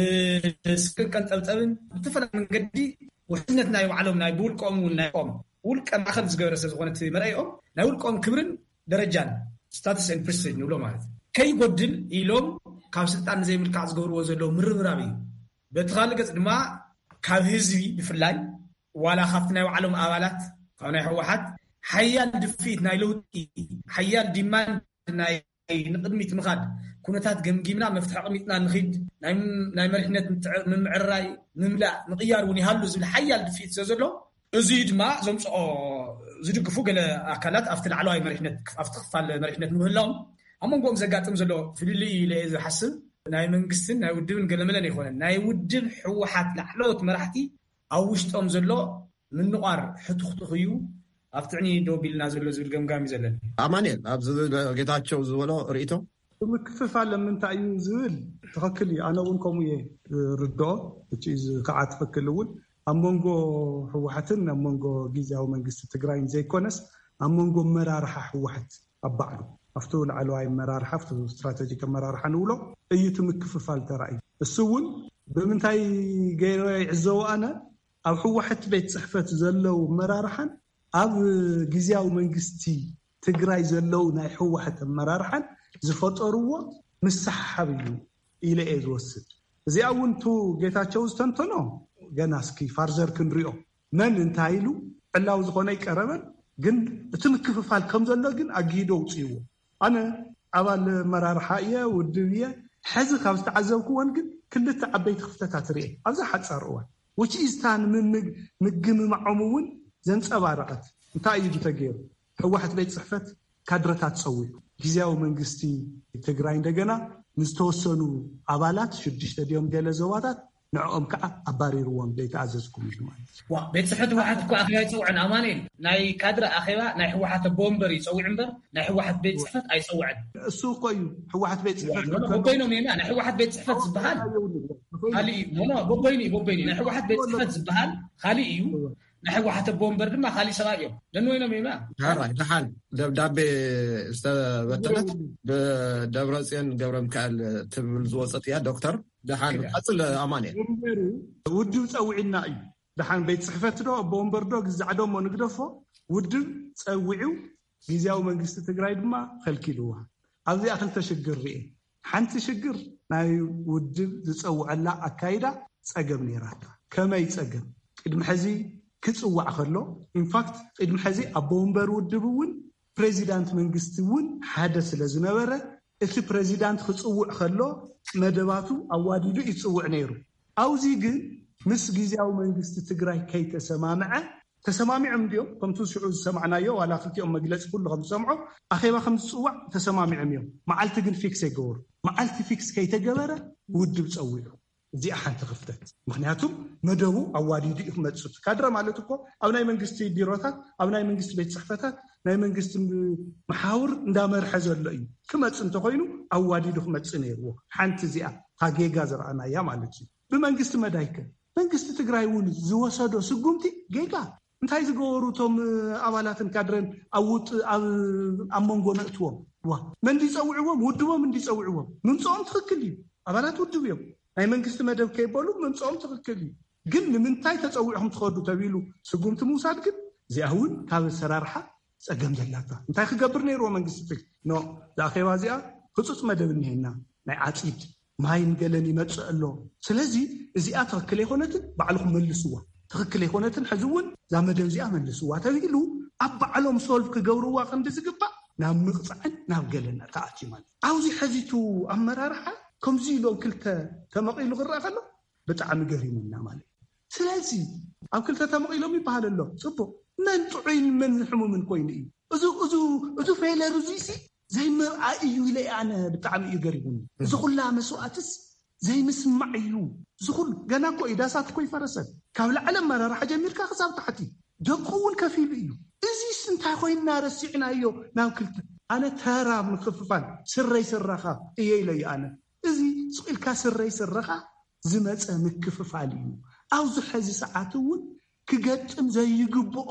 ብስቅን ቀንጠብጠብን ብዝተፈላለየ መንገዲ ውሕስነት ናይ ባዕሎም ናይ ብውልቆም እውን ናይ ቆም ውልቀ ማእኸል ዝገበረ ስለ ዝኾነ እቲ መርኣይኦም ናይ ውልቆም ክብርን ደረጃን፣ ስታትስ ኤንድ ፕሬስቲጅ ንብሎ ማለት እዩ፣ ከይጎድል ኢሎም ካብ ስልጣን ንዘይምልካዕ ዝገብርዎ ዘለዉ ምርብራብ እዩ። በቲ ካልእ ገጽ ድማ ካብ ህዝቢ ብፍላይ ዋላ ካብቲ ናይ ባዕሎም ኣባላት ካብ ናይ ህወሓት ሓያል ድፍኢት ናይ ለውጢ ሓያል ዲማንድ ናይ ንቕድሚት ምኻድ ኩነታት ገምጊምና መፍትሒ ኣቕሚጥና ንኺድ ናይ፣ ናይ መሪሕነት ምትዕ-፣ ምምዕርራይ ምምላእ ምቕያር እውን ይሃሉ ዝብል ሓያል ድፍኢት ስለ ዘሎ እዚ ድማ ዘምፅኦ ዝድግፉ ገለ ኣካላት ኣብቲ ላዕለዋይ መሪሕነት ኣብቲ ክፋል መሪሕነት ምህላዎም ኣብ መንጎኦም ዘጋጥም ዘሎ ፍልልይ ኢለ እየ ዝሓስብ። ናይ መንግስትን ናይ ውድብን ገለመለን ኣይኮነን። ናይ ውድብ ህወሓት ላዕለዎት መራሕቲ ኣብ ውሽጦም ዘሎ ምንቋር ሕቱኽቱኽ እዩ ኣብ ትዕኒ ደው ቢልና ዘሎ ዝብል ገምጋም እዩ ዘለኒ። ኣማንኤል፣ ኣብዚ ጌታቸው ዝበሎ ርእይቶ? ምክፍፋል ምንታይ እዩ ዝብል ትኽክል እዩ። ኣነ እውን ከምኡ እየ ርድኦ። እቲ እዚ ከዓ ትኽክል እውን ኣብ መንጎ ህወሓትን ኣብ መንጎ ግዝያዊ መንግስቲ ትግራይን ዘይኮነስ ኣብ መንጎ መራርሓ ህወሓት ኣብ ባዕሉ ኣብቲ ላዕለዋይ መራርሓ ኣብቲ ስትራተጂክ ኣመራርሓ ንብሎ እዩ እቲ ምክፍፋል ተራእዩ። እሱ እውን ብምንታይ ገይረ ይዕዘቦ ኣነ ኣብ ህወሓት ቤት ፅሕፈት ዘለዉ ኣመራርሓን ኣብ ግዝያዊ መንግስቲ ትግራይ ዘለዉ ናይ ህወሓት ኣመራርሓን ዝፈጠርዎ ምስሕሓብ እዩ ኢለ እየ ዝወስድ። እዚኣ እውን ቱ ጌታቸው ዝተንተኖ ገና እስኪ ፋርዘር ክንሪኦ መን እንታይ ኢሉ ዕላዊ ዝኾነ ይቀረበን ግን እቲ ምክፍፋል ከም ዘሎ ግን ኣግሂዶ ውፅእዎ። ኣነ ኣባል መራርሓ እየ ውድብ እየ። ሕዚ ካብ ዝተዓዘብክዎን ግን ክልተ ዓበይቲ ክፍተታት ርኤ ኣብዛ ሓፃር እዋን ውጭ ኢዝታ ንምግምማዖም እውን ዘንፀባረቐት እንታይ እዩ ተገይሩ? ህወሓት ቤት ፅሕፈት ካድረታት ፀዊዑ ግዝያዊ መንግስቲ ትግራይ እንደገና ንዝተወሰኑ ኣባላት ሽዱሽተ ድዮም ገለ ዞባታት ንዕኦም ከዓ ኣባሪርዎም ዘይተኣዘዝኩም ኢሉ ማለት እዩ። ዋ ቤት ጽሕፈት ህወሓት እኮ ኣኼባ ኣይፀውዕን ኣማኑኤል። ናይ ካድረ ኣኼባ ናይ ህወሓት ኣቦ ወንበር ይፀውዕ እምበር ናይ ህወሓት ቤት ጽሕፈት ኣይፀውዕን። እሱ እኮ እዩ ህወሓት ቤት ጽሕፈት ኖ፣ ኖ፣ በበይኖም እዮም። ናይ ህወሓት ቤት ጽሕፈት ዝበሃል ካልእ እዩ። ኖ፣ ኖ፣ በበይኑ እዩ፣ በበይኑ እዩ። ናይ ህወሓት ቤት ጽሕፈት ዝበሃል ካልእ እዩ። ናይ ህወሓት ኣቦ ወንበር ድማ ካልእ ሰብኣይ እዮም። ነንወይኖም እዮም። ሕራይ ደሓን ደብዳቤ ዝተበተነት ብደብረፅዮን ገብረ ሚካኤል ትብል ዝወፀት እያ። ዶክተር ደሓን ቀፅል ኣማኑኤል። ወንበሩ ውድብ ፀዊዕና እዩ። ደሓን ቤት ፅሕፈት ዶ ኣቦ ወንበር ዶ ግዛዕ ዶ እሞ ንግደፎ፣ ውድብ ፀዊዑ ግዝያዊ መንግስቲ ትግራይ ድማ ከልኪልዋ። ኣብዚኣ ክልተ ሽግር ርኤ። ሓንቲ ሽግር ናይ ውድብ ዝፀውዐላ ኣካይዳ ፀገም ነይራታ። ከመይ ፀገም? ቅድሚ ሕዚ ክፅዋዕ ከሎ፣ ኢንፋክት ቅድሚ ሕዚ ኣቦ ወንበር ውድብ እውን ፕሬዚዳንት መንግስቲ እውን ሓደ ስለ ዝነበረ፣ እቲ ፕሬዚዳንት ክፅውዕ ከሎ መደባቱ ኣዋዲዱ ይፅውዕ ነይሩ። ኣብዚ ግን ምስ ግዝያዊ መንግስቲ ትግራይ ከይተሰማምዐ፣ ተሰማሚዖም እንዲዮም ከምቲ ሽዑ ዝሰማዕናዮ፣ ዋላ ክልቲኦም መግለፂ ኩሉ ከም ዝሰምዖ ኣኼባ ከም ዝፅዋዕ ተሰማሚዖም እዮም። መዓልቲ ግን ፊክስ ኣይገበሩ። መዓልቲ ፊክስ ከይተገበረ ውድብ ፀዊዑ። እዚኣ ሓንቲ ክፍተት። ምክንያቱም መደቡ ኣዋዲዱ እዩ ክመፅእ። ካድረ ማለት እኮ ኣብ ናይ መንግስቲ ቢሮታት፣ ኣብ ናይ መንግስቲ ቤት ፅሕፈታት፣ ናይ መንግስቲ መሓውር እንዳመርሐ ዘሎ እዩ። ክመፅእ እንተኮይኑ ኣዋዲዱ ክመፅእ ነይርዎ። ሓንቲ እዚኣ ታጌጋ ዝረኣናያ ማለት እዩ። ብመንግስቲ መዳይከ መንግስቲ ትግራይ እውን ዝወሰዶ ስጉምቲ ጌጋ እንታይ ዝገበሩ እቶም ኣባላትን ካድረን ኣብ ውጥ ኣብ መንጎ ነእትዎም ዋ መን እንዲፀውዕዎም ውድቦም እንዲፀውዕዎም ምምፅኦም ትኽክል እዩ። ኣባላት ውድብ እዮም። ናይ መንግስቲ መደብ ከይበሉ ምምፅኦም ትኽክል እዩ። ግን ንምንታይ ተፀዊዕኹም ትኸዱ ተቢሉ ስጉምቲ ምውሳድ ግን እዚኣ እውን ካብ ኣሰራርሓ ፀገም ዘላታ እንታይ ክገብር ነይርዎ መንግስቲ ትግ ኖ ዝኣኼባ እዚኣ ህፁፅ መደብ እኒሄና ናይ ዓፂድ ማይን ገለን ይመፅእ ኣሎ። ስለዚ እዚኣ ትኽክል ኣይኮነትን ባዕልኹም መልስዋ። ትኽክል ኣይኮነትን ሕዚ እውን እዛ መደብ እዚኣ መልስዋ ተባሂሉ ኣብ ባዕሎም ሶልቭ ክገብርዋ ከምዚ ዝግባእ ናብ ምቕፃዕን ናብ ገለን ተኣትዩ ማለት ኣብዚ ሕዚቱ ኣመራርሓ ከምዚ ኢሎም ክልተ ተመቒሉ ክረኣ ከሎ ብጣዕሚ ገሪሙና ማለት እዩ። ስለዚ ኣብ ክልተ ተመቒሎም ይበሃል ኣሎ ፅቡቕ መን ጥዑይን መን ሕሙምን ኮይኑ እዩ እዚ እዚ እዚ ፌለር እዚ ሲ ዘይምርኣይ እዩ ኢለ ኣነ ብጣዕሚ እዩ ገሪሙኒ። እዚ ኩላ መስዋእትስ ዘይምስማዕ እዩ። እዚ ኩሉ ገና እኮ እዩ ዳሳት እኮ ይፈረሰን ካብ ላዕሊ ኣመራርሓ ጀሚርካ ክሳብ ታሕቲ ደቁ እውን ከፊሉ እዩ። እዚስ እንታይ ኮይንና ረሲዕናዮ ናብ ክልተ ኣነ ተራ ምክፍፋል ስረይ ስረኻ እየ ኢለ እዩ ኣነ እዚ ስቕ ኢልካ ስረይ ስረኻ ዝመፀ ምክፍፋል እዩ። ኣብዚ ሕዚ ሰዓት እውን ክገጥም ዘይግብኦ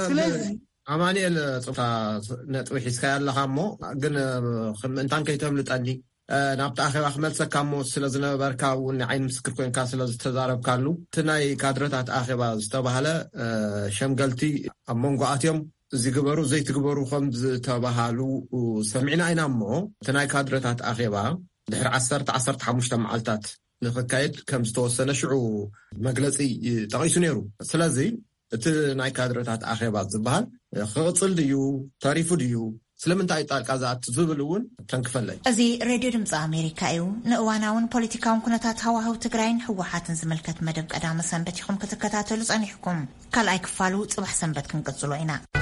ስለዚ ኣማኒኤል ፆታ ነጥቢ ሒዝካያ ኣለካ እሞ ግን ምእንታን ከይተምልጠኒ ናብቲ ኣኼባ ክመልሰካ እሞ ስለ ዝነበርካ እውን ንዓይኒ ምስክር ኮይንካ ስለ ዝተዛረብካሉ እቲ ናይ ካድረታት ኣኼባ ዝተባህለ ሸምገልቲ ኣብ መንጎ ኣትዮም ዝግበሩ ዘይትግበሩ ከም ዝተባሃሉ ሰሚዕና ኢና እሞ እቲ ናይ ካድረታት ኣኼባ ድሕሪ ዓሰርተ ዓሰርተ ሓሙሽተ መዓልታት ንክካየድ ከም ዝተወሰነ ሽዑ መግለፂ ጠቒሱ ነይሩ። ስለዚ እቲ ናይ ካድረታት ኣኼባ ዝበሃል ክቕፅል ድዩ ተሪፉ ድዩ ስለምንታይ ጣልቃ ዝኣቱ ዝብል እውን ተንክፈለይ። እዚ ሬድዮ ድምፂ ኣሜሪካ እዩ። ንእዋናውን ፖለቲካውን ኩነታት ሃዋህው ትግራይን ህወሓትን ዝምልከት መደብ ቀዳመ ሰንበት ኢኹም ክትከታተሉ ፀኒሕኩም። ካልኣይ ክፋሉ ፅባሕ ሰንበት ክንቅፅሎ ኢና።